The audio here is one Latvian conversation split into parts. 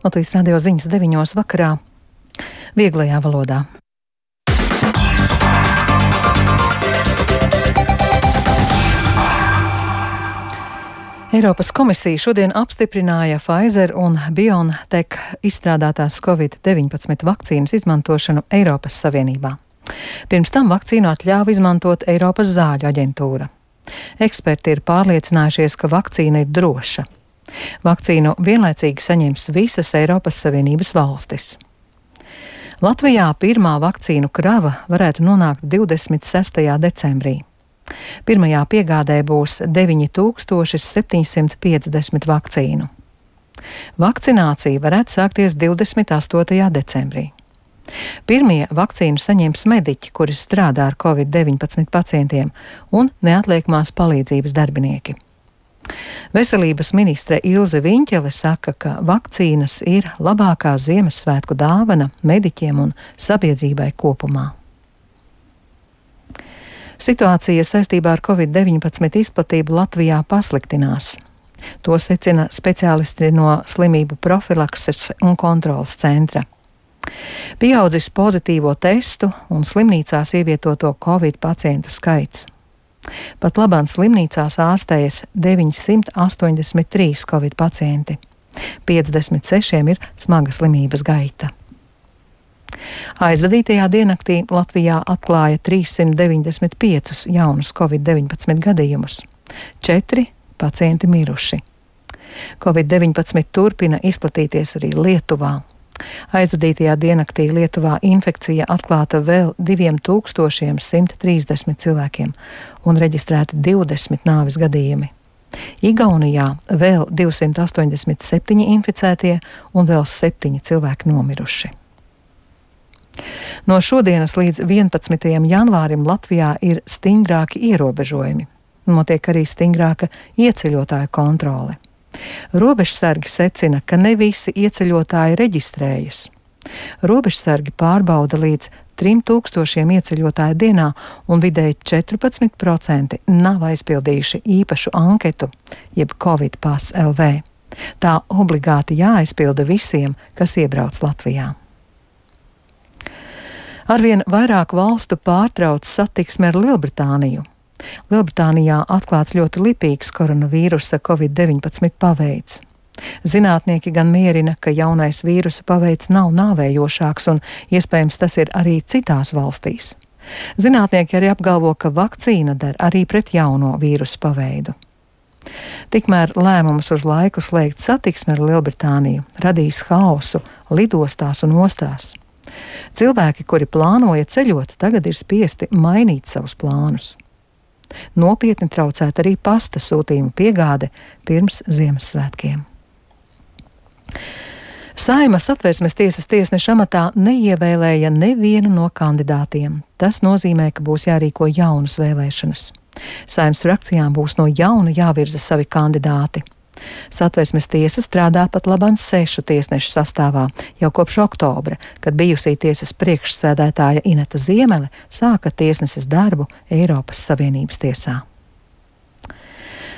Latvijas radio ziņas 9 vakarā vieglajā valodā. Eiropas komisija šodien apstiprināja Pfizer un BioNTech izstrādātās Covid-19 vakcīnas izmantošanu Eiropas Savienībā. Pirms tam vakcīnu atļāva izmantot Eiropas zāļu aģentūra. Eksperti ir pārliecinājušies, ka vakcīna ir droša. Vakcīnu vienlaicīgi saņems visas Eiropas Savienības valstis. Latvijā pirmā vakcīnu krava varētu nonākt 26. decembrī. Pirmajā piegādē būs 9750 vakcīnu. Vakcinācija varētu sākties 28. decembrī. Pirmie vakcīnu saņems mediķi, kuri strādā ar Covid-19 pacientiem, un neatliekamās palīdzības darbinieki. Veselības ministre Ilze Viņķele saka, ka vakcīnas ir labākā Ziemassvētku dāvana mediķiem un sabiedrībai kopumā. Situācija saistībā ar Covid-19 izplatību Latvijā pasliktinās. To secina speciālisti no slimību profilakses un kontrolas centra. Pieaudzis pozitīvo testu un slimnīcās ievietoto Covid pacientu skaits. Pat labāk slimnīcās ārstējas 983 Covid pacienti. 56 ir smaga slimības gaita. Aizvadītajā diennaktī Latvijā atklāja 395 jaunus Covid-19 gadījumus. 4 pacienti miruši. Covid-19 turpina izplatīties arī Lietuvā. Aizvadītajā diennaktī Lietuvā infekcija atklāta vēl 2130 cilvēkiem un reģistrēti 20 nāves gadījumi. Igaunijā vēl 287 inficētie un vēl 7 cilvēki nomiruši. No šodienas līdz 11. janvārim Latvijā ir stingrāki ierobežojumi. Notiek arī stingrāka ieceļotāju kontrole. Robežsargi secina, ka ne visi ieceļotāji reģistrējas. Robežsargi pārbauda līdz 3000 ieceļotāju dienā, un vidēji 14% nav aizpildījuši īpašu anketu, jeb Covid Pass LV. Tā obligāti jāaizpilda visiem, kas iebrauc Latvijā. Arvien vairāk valstu pārtrauc satiksmi ar Lielbritāniju. Lielbritānijā atklāts ļoti lipīgs koronavīrusa Covid-19 paveids. Zinātnieki gan mierina, ka jaunais vīrusa paveids nav nāvējošāks un iespējams tas ir arī citās valstīs. Zinātnieki arī apgalvo, ka vakcīna der arī pret jauno vīrusa paveidu. Tikmēr lēmums uz laiku slēgt satiksmi ar Lielbritāniju radīs haosu lidostās un ostās. Cilvēki, kuri plānoja ceļot, tagad ir spiesti mainīt savus plānus. Nopietni traucēt arī pasta sūtījuma piegāde pirms Ziemassvētkiem. Saeimas Satversmes tiesas tiesneša amatā neievēlēja nevienu no kandidātiem. Tas nozīmē, ka būs jārīko jaunas vēlēšanas. Saeimas frakcijām būs no jauna jāvirza savi kandidāti. Satversmes tiesa strādā pat labāk 6 tiesnešu sastāvā jau kopš oktobra, kad bijusī tiesas priekšsēdētāja Ineta Ziemele sāka tiesneses darbu Eiropas Savienības tiesā.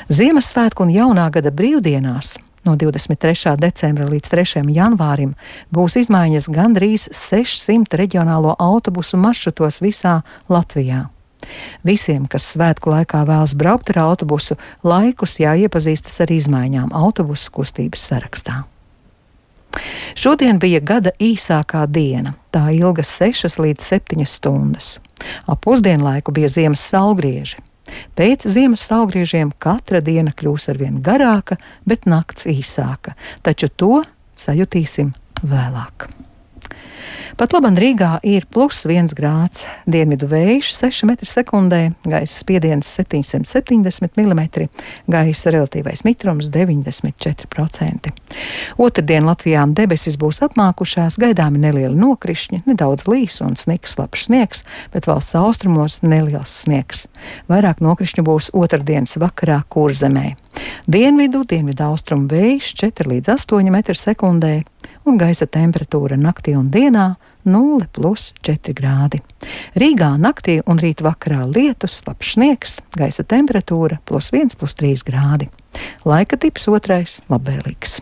Ziemassvētku un jaunā gada brīvdienās no 23. decembra līdz 3. janvārim būs izmaiņas gandrīz 600 reģionālo autobusu maršrutos visā Latvijā. Visiem, kas svētku laikā vēlas braukt ar autobusu, laikus jāiepazīstas ar izmaiņām autobusu kustības sarakstā. Šodien bija gada īsākā diena. Tā ilga 6 līdz 7 stundas. Ap pusdienlaiku bija ziemas saulgrieži. Pēc ziemas saulgriežiem katra diena kļūs arvien garāka, bet nakts īsāka. Taču to sajutīsim vēlāk. Pat labam Rīgā ir +1 grāds, dienvidu vējš 6 m/s, gaisa spiediens 770 mm, gaisa relatīvais mitrums 94%. Otrdien Latvijā debesis būs apmākušās, gaidāmi nelieli nokrišņi, nedaudz līs un sniks, slapjš sniegs, bet valsts austrumos neliels sniegs. Vairāk nokrišņu būs otrdienas vakarā Kurzemē. Dienvidu austrumu vējš 4 līdz 8 m/s, un gaisa temperatūra naktī un dienā 0+4 grādi. Rīgā naktī un rīt vakarā lietus, slapjš sniegs, gaisa temperatūra +1, +3 grādi. Laika tips 2 labvēlīgs.